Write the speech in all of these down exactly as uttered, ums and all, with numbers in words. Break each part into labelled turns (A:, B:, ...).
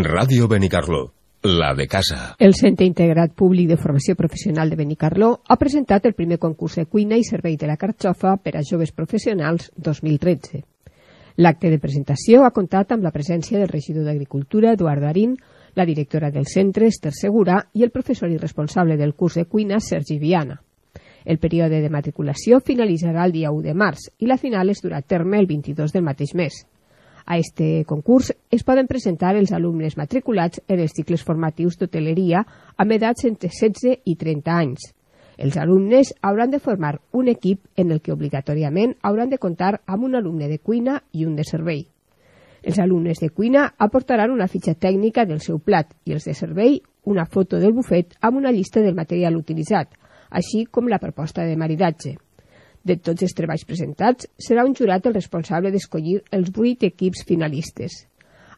A: Ràdio Benicarló, la de casa.
B: El Centre Integrat Públic de Formació Professional de Benicarló ha presentat el primer concurs de cuina i servei de la carxofa per a joves professionals dos mil tretze. L'acte de presentació ha comptat amb la presència del regidor d'Agricultura, Eduardo Arín, la directora del centre, Esther Segura, i el professor i responsable del curs de cuina, Sergi Viana. El període de matriculació finalitzarà el dia u de març i la final es durà a terme el vint-i-dos del mateix mes. A este concurs es poden presentar els alumnes matriculats en els cicles formatius d'hoteleria amb edats entre setze i trenta anys. Els alumnes hauran de formar un equip en el que obligatòriament hauran de comptar amb un alumne de cuina i un de servei. Els alumnes de cuina aportaran una fitxa tècnica del seu plat i els de servei una foto del bufet amb una llista del material utilitzat, així com la proposta de maridatge. De tots els treballs presentats, serà un jurat el responsable d'escollir els vuit equips finalistes.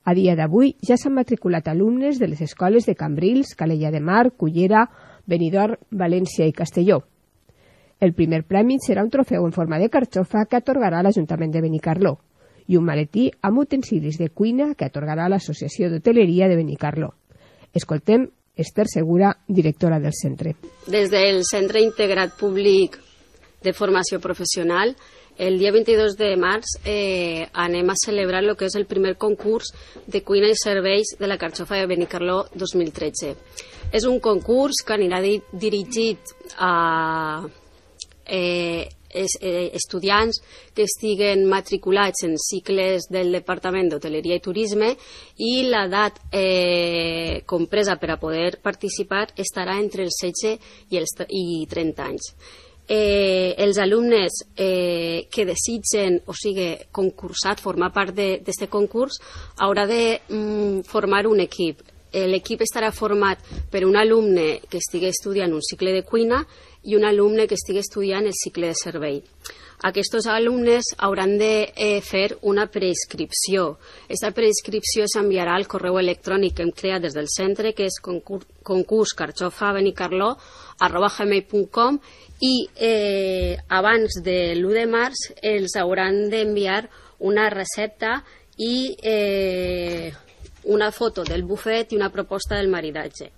B: A dia d'avui ja s'han matriculat alumnes de les escoles de Cambrils, Calella de Mar, Cullera, Benidorm, València i Castelló. El primer premi serà un trofeu en forma de carxofa que atorgarà l'Ajuntament de Benicarló i un maletí amb utensilis de cuina que atorgarà l'Associació d'Hoteleria de Benicarló. Escoltem Esther Segura, directora del centre.
C: Des del Centre Integrat Públic de Formació Professional, el dia vint-i-dos de març eh, anem a celebrar el que és el primer concurs de cuina i serveis de la carxofa de Benicarló dos mil tretze. És un concurs que anirà di dirigit a eh, es, eh, estudiants que estiguen matriculats en cicles del Departament d'Hoteleria i Turisme i l'edat eh, compresa per a poder participar estarà entre els setze i els i trenta anys. Eh, els alumnes eh, que desitgen, o sigui, concursat, formar part d'aquest concurs, haurà de mm, formar un equip. L'equip estarà format per un alumne que estigui estudiant un cicle de cuina i un alumne que estigui estudiant el cicle de servei. Aquests alumnes hauran de eh, fer una preinscripció. Aquesta preinscripció s'enviarà al correu electrònic que hem creat des del centre, que és concurs, concurs carxofa benicarló arroba gmail punt com, i eh, abans de l'u de març els hauran d'enviar una recepta i eh, una foto del bufet i una proposta del maridatge.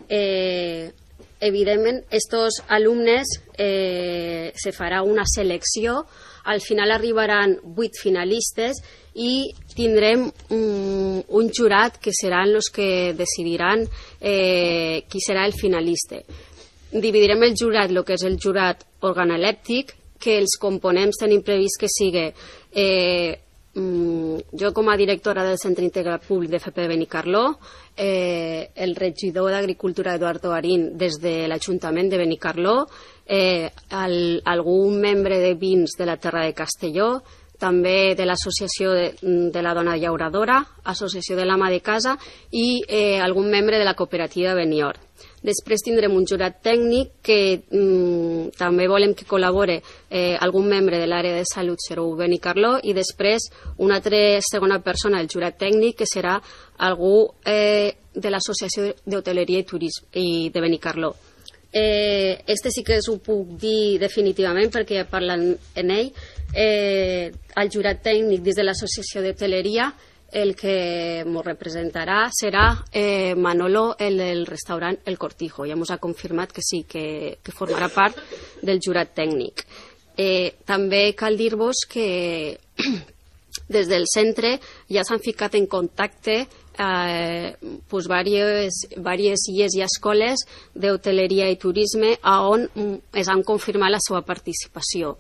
C: Eh, evidentment, estos alumnes eh, se farà una selecció, al final arribaran vuit finalistes i tindrem un, un jurat que seran els que decidiran eh, qui serà el finalista. Dividirem el jurat, el que és el jurat organolèptic, que els components tenim previst que sigui eh, jo com a directora del Centre Integrat Públic de F P de Benicarló, eh, el regidor d'Agricultura Eduardo Arín des de l'Ajuntament de Benicarló, eh, el, algun membre de vins de la Terra de Castelló, també de l'Associació de, de la Dona Llauradora, Associació de l'Ama de Casa i eh, algun membre de la cooperativa Benior. Després tindrem un jurat tècnic que mm, també volem que col·labore eh, algun membre de l'àrea de salut zero u Benicarló i després una altra segona persona del jurat tècnic que serà algú eh, de l'Associació d'Hoteleria i Turisme i de Benicarló. Eh, este sí que us ho puc dir definitivament perquè ja parlen en ell. Eh, el jurat tècnic des de l'Associació d'Hoteleria, el que ens representarà serà eh, Manolo, el del restaurant El Cortijo. Ja ens ha confirmat que sí, que, que formarà part del jurat tècnic. Eh, també cal dir-vos que des del centre ja s'han ficat en contacte eh, pues, diverses, diverses illes i escoles d'hoteleria i turisme on es han confirmat la seva participació.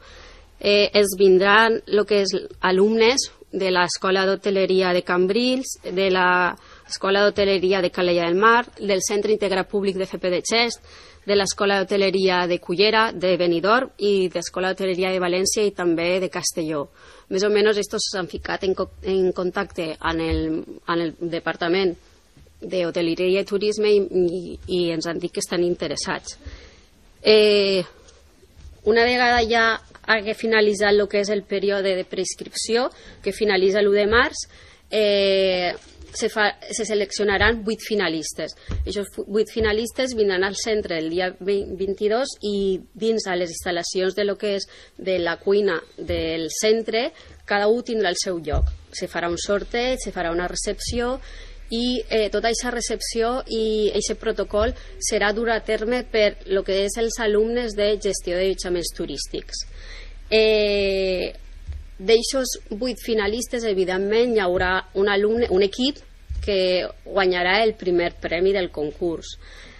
C: Eh, es vindran el que és alumnes de l'Escola d'Hoteleria de Cambrils, de l'Escola d'Hoteleria de Calella del Mar, del Centre Integrat Públic de F P de Xest, de l'Escola d'Hoteleria de Cullera, de Benidorm i de l'Escola d'Hoteleria de València i també de Castelló. Més o menys estos s'han ficat en, en contacte amb el, amb el Departament d'Hoteleria i Turisme i, i, i ens han dit que estan interessats. Eh, una vegada ja hagué finalitzat el que és el període de preinscripció, que finalitza l'u de març, eh, se, fa, se seleccionaran vuit finalistes. Aquests vuit finalistes vindran al centre el dia vint-i-dos i dins a les instal·lacions de lo que és de la cuina del centre, cada un tindrà el seu lloc. Se farà un sorteig, se farà una recepció i eh, tota aquesta recepció i aquest protocol serà dur a terme per el que és els alumnes de gestió de allotjaments turístics. Eh, D'eixos vuit finalistes, evidentment, hi haurà un alumne, un equip que guanyarà el primer premi del concurs.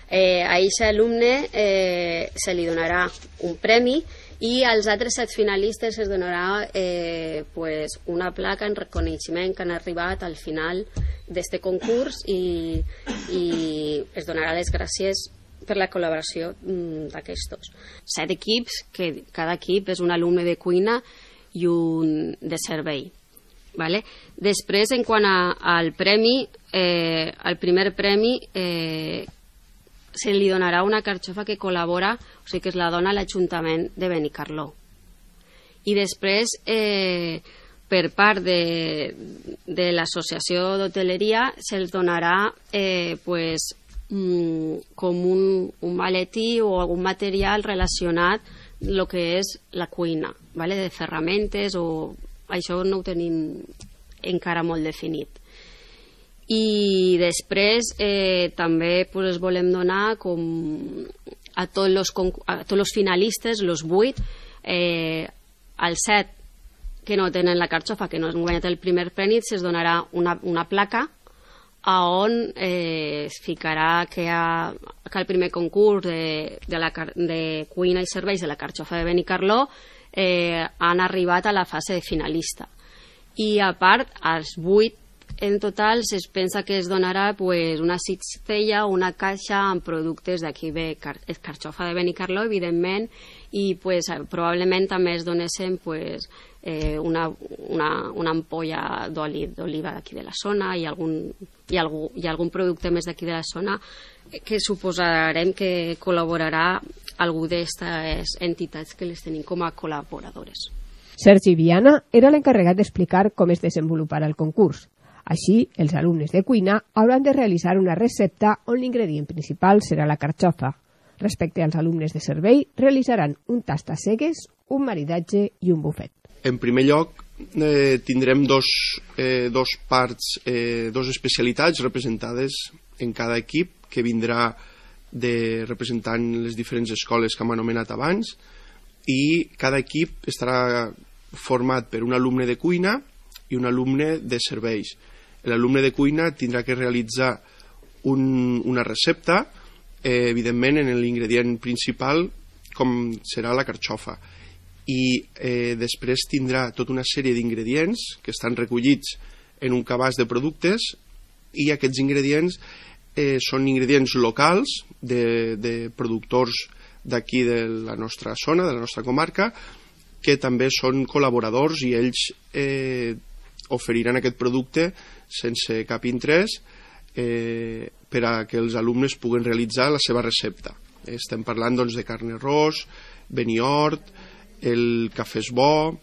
C: Eh, a aquest alumne eh, se li donarà un premi i als altres set finalistes es donarà eh, pues una placa en reconeixement que han arribat al final d'aquest concurs i, i es donarà les gràcies per la col·laboració d'aquestos. Set equips, que cada equip és un alumne de cuina i un de servei. Vale? Després, en quant a, al premi, eh, el primer premi eh, se li donarà una carxofa que col·labora, o sigui que es la dona l'Ajuntament de Benicarló. I després, eh, per part de, de l'Associació d'Hoteleria, se'ls donarà eh, pues, mm, com un, un maletí o algun material relacionat el que és la cuina, vale? De ferramentes o... Això no ho tenim encara molt definit. I després eh, també pues, es volem donar com a tots els a tots els finalistes, els vuit, eh, als set que no tenen la carxofa, que no han guanyat el primer premi, se'ls donarà una, una placa a on eh, es ficarà que, ha, que el primer concurs de, de, la, de cuina i serveis de la carxofa de Benicarló eh, han arribat a la fase de finalista. I a part, als vuit en total es pensa que es donarà pues, una cistella o una caixa amb productes d'aquí de car carxofa de Benicarló, evidentment, i pues, probablement també es donessin pues, eh, una, una, una ampolla d'oli d'oliva d'aquí de la zona i algun, i, algú, i algun producte més d'aquí de la zona que suposarem que col·laborarà algú d'aquestes entitats que les tenim com a col·laboradores.
B: Sergi Viana era l'encarregat d'explicar com es desenvoluparà el concurs. Així, els alumnes de cuina hauran de realitzar una recepta on l'ingredient principal serà la carxofa. Respecte als alumnes de servei, realitzaran un tast a cegues, un maridatge i un bufet.
D: En primer lloc, eh, tindrem dos, eh, dos parts, eh, dos especialitats representades en cada equip, que vindrà de representant les diferents escoles que hem anomenat abans, i cada equip estarà format per un alumne de cuina i un alumne de serveis. L'alumne de cuina tindrà que realitzar un, una recepta, eh, evidentment en l'ingredient principal, com serà la carxofa. I eh, després tindrà tota una sèrie d'ingredients que estan recollits en un cabàs de productes, i aquests ingredients eh, són ingredients locals de, de productors d'aquí de la nostra zona, de la nostra comarca, que també són col·laboradors i ells eh, oferiran aquest producte sense cap interès eh, per a que els alumnes puguen realitzar la seva recepta. Estem parlant doncs, de carn arròs, Beniort, el cafè és bo,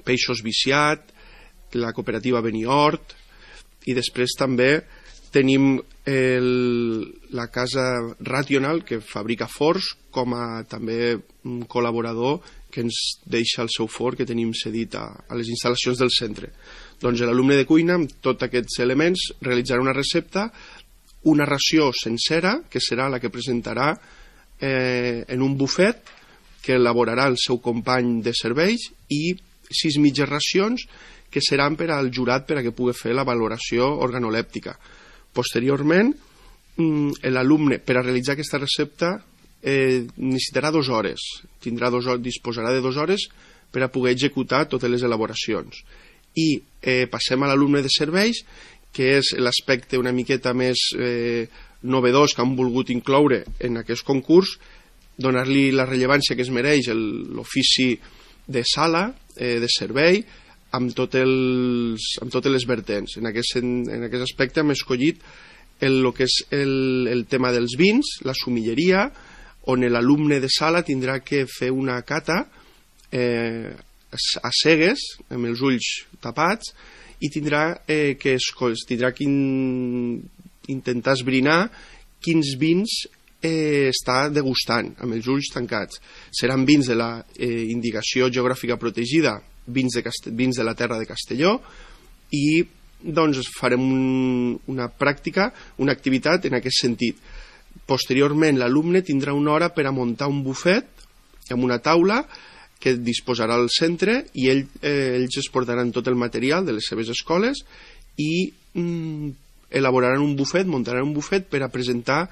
D: peixos viciat, la cooperativa Beniort, i després també tenim el, la casa Rational, que fabrica forns, com a també un col·laborador que ens deixa el seu forn que tenim cedit a, a les instal·lacions del centre. Doncs l'alumne de cuina, amb tots aquests elements, realitzarà una recepta, una ració sencera, que serà la que presentarà eh, en un bufet, que elaborarà el seu company de serveis, i sis mitges racions que seran per al jurat per a que pugui fer la valoració organolèptica. Posteriorment, l'alumne, per a realitzar aquesta recepta, eh, necessitarà dues hores. Tindrà dos, disposarà de dues hores per a poder executar totes les elaboracions. I eh, passem a l'alumne de serveis, que és l'aspecte una miqueta més eh, novedós que han volgut incloure en aquest concurs, donar-li la rellevància que es mereix l'ofici de sala, eh, de servei, amb, tot els, amb totes les vertents. En aquest, en aquest aspecte hem escollit el, el que és el, el tema dels vins, la sumilleria, on l'alumne de sala tindrà que fer una cata eh, a cegues, amb els ulls tapats, i tindrà eh, que, es, tindrà que in, intentar esbrinar quins vins eh, està degustant, amb els ulls tancats. Seran vins de la eh, indicació geogràfica protegida, vins de, vins de la terra de Castelló, i doncs farem un, una pràctica, una activitat en aquest sentit. Posteriorment l'alumne tindrà una hora per a muntar un bufet amb una taula que disposarà al centre i ell, eh, ells es portaran tot el material de les seves escoles i mm, elaboraran un bufet, muntaran un bufet per a presentar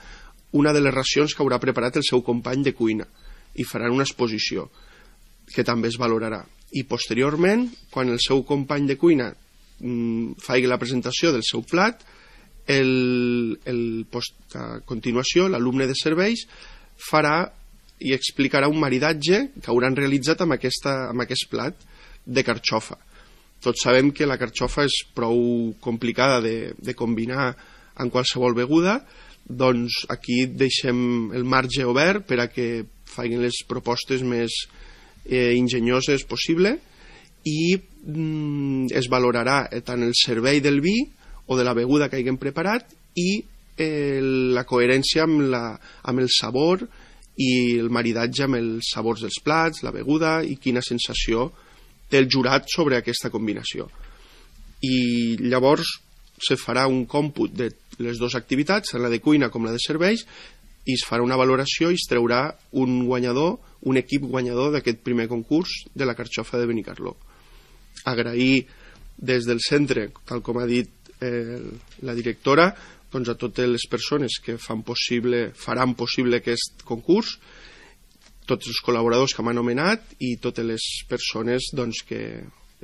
D: una de les racions que haurà preparat el seu company de cuina i faran una exposició que també es valorarà. I posteriorment, quan el seu company de cuina mm, faci la presentació del seu plat, el, el post, a continuació l'alumne de serveis farà i explicarà un maridatge que hauran realitzat amb, aquesta, amb aquest plat de carxofa. Tots sabem que la carxofa és prou complicada de, de combinar en qualsevol beguda, doncs aquí deixem el marge obert per a que facin les propostes més eh, enginyoses possible i mm, es valorarà tant el servei del vi o de la beguda que hagin preparat i eh, la coherència amb, la, amb el sabor i el maridatge amb els sabors dels plats, la beguda i quina sensació té el jurat sobre aquesta combinació. I llavors se farà un còmput de les dues activitats, tant la de cuina com la de serveis, i es farà una valoració i es treurà un guanyador, un equip guanyador d'aquest primer concurs de la carxofa de Benicarló. Agrair des del centre, tal com ha dit eh, la directora, doncs a totes les persones que fan possible, faran possible aquest concurs, tots els col·laboradors que m'han anomenat i totes les persones doncs, que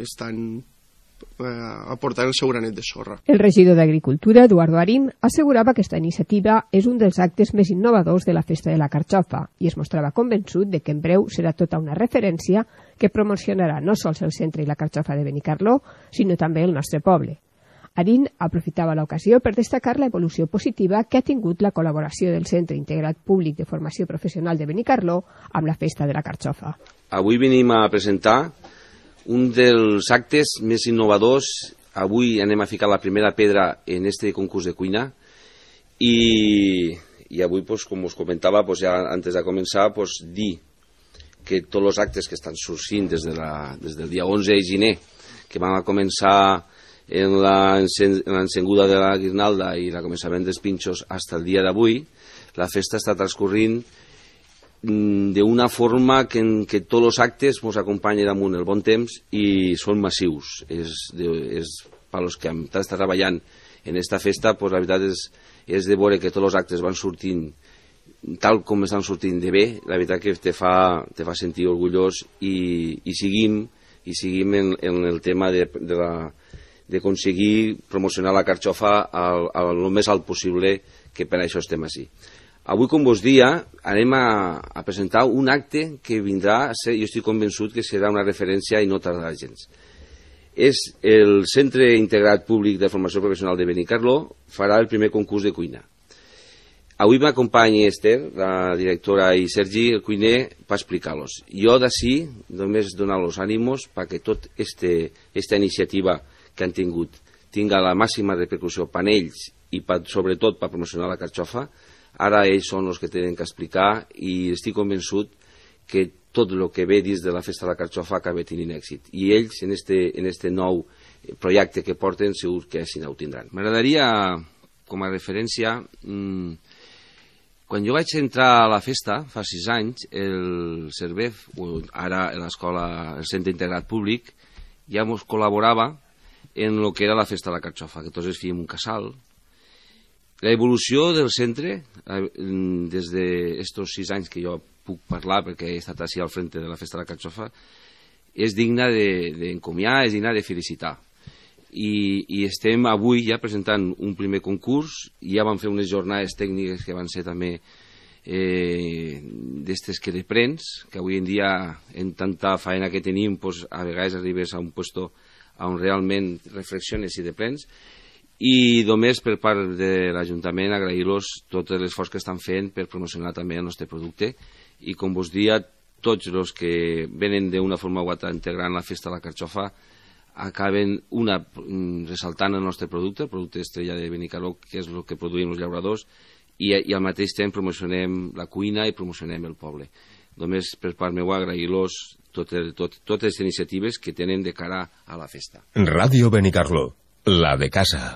D: estan eh, aportant el seu granet de sorra.
B: El regidor d'Agricultura, Eduardo Arín, assegurava que aquesta iniciativa és un dels actes més innovadors de la Festa de la Carxofa i es mostrava convençut de que en breu serà tota una referència que promocionarà no sols el centre i la carxofa de Benicarló, sinó també el nostre poble. Arín aprofitava l'ocasió per destacar la evolució positiva que ha tingut la col·laboració del Centre Integrat Públic de Formació Professional de Benicarló amb la Festa de la Carxofa.
E: Avui venim a presentar un dels actes més innovadors. Avui anem a ficar la primera pedra en este concurs de cuina i, i avui, pues, com us comentava, pues, ja antes de començar, pues, dir que tots els actes que estan sorgint des, de la, des del dia onze de gener, que van a començar en l'encenguda de la guirnalda i el començament dels pinxos fins el dia d'avui, la festa està transcorrint d'una forma que, en què tots els actes ens acompanyen damunt el bon temps i són massius. És, de, és per als que hem estat treballant en aquesta festa, pues, la veritat és, és de veure que tots els actes van sortint tal com estan sortint de bé, la veritat que te fa, te fa sentir orgullós i, i seguim, i seguim en, en el tema de, de la d'aconseguir promocionar la carxofa al, al més alt possible, que per això estem així. Avui, com vos dia, anem a, a presentar un acte que vindrà a ser, jo estic convençut que serà una referència i no tardarà gens. És el Centre Integrat Públic de Formació Professional de Benicarló farà el primer concurs de cuina. Avui m'acompanya Esther, la directora, i Sergi, el cuiner, per explicar-los. Jo d'ací només donar-los ànimos perquè tot este, esta iniciativa que han tingut tinga la màxima repercussió per ells i per, sobretot per promocionar la carxofa. Ara ells són els que tenen que explicar i estic convençut que tot el que ve dins de la Festa de la Carxofa acaba tenint èxit. I ells, en este, en este nou projecte que porten, segur que així ho tindran. M'agradaria, com a referència, mmm, quan jo vaig entrar a la festa, fa sis anys, el CERVEF, ara l'escola, el Centre Integrat Públic, ja ens col·laborava en el que era la Festa de la Carxofa, que tots es fèiem un casal. L'evolució del centre, des d'estos sis anys que jo puc parlar, perquè he estat així al frente de la Festa de la Carxofa, és digna d'encomiar, és digna de felicitar. I, i estem avui ja presentant un primer concurs, i ja vam fer unes jornades tècniques que van ser també eh, d'estes que deprens, que avui en dia, en tanta faena que tenim, pues, a vegades arribes a un puesto on realment reflexiones i deprens, i només per part de l'Ajuntament agrair-los tot l'esforç que estan fent per promocionar també el nostre producte, i com vos dia, tots els que venen d'una forma o altra integrant la Festa de la Carxofa acaben una ressaltant el nostre producte, el producte estrella de Benicarló, que és el que produïm els llauradors, i, i al mateix temps promocionem la cuina i promocionem el poble. Només per part meva agrair-los totes, tot, totes les iniciatives que tenen de cara a la festa.
A: Ràdio Benicarló, La de casa.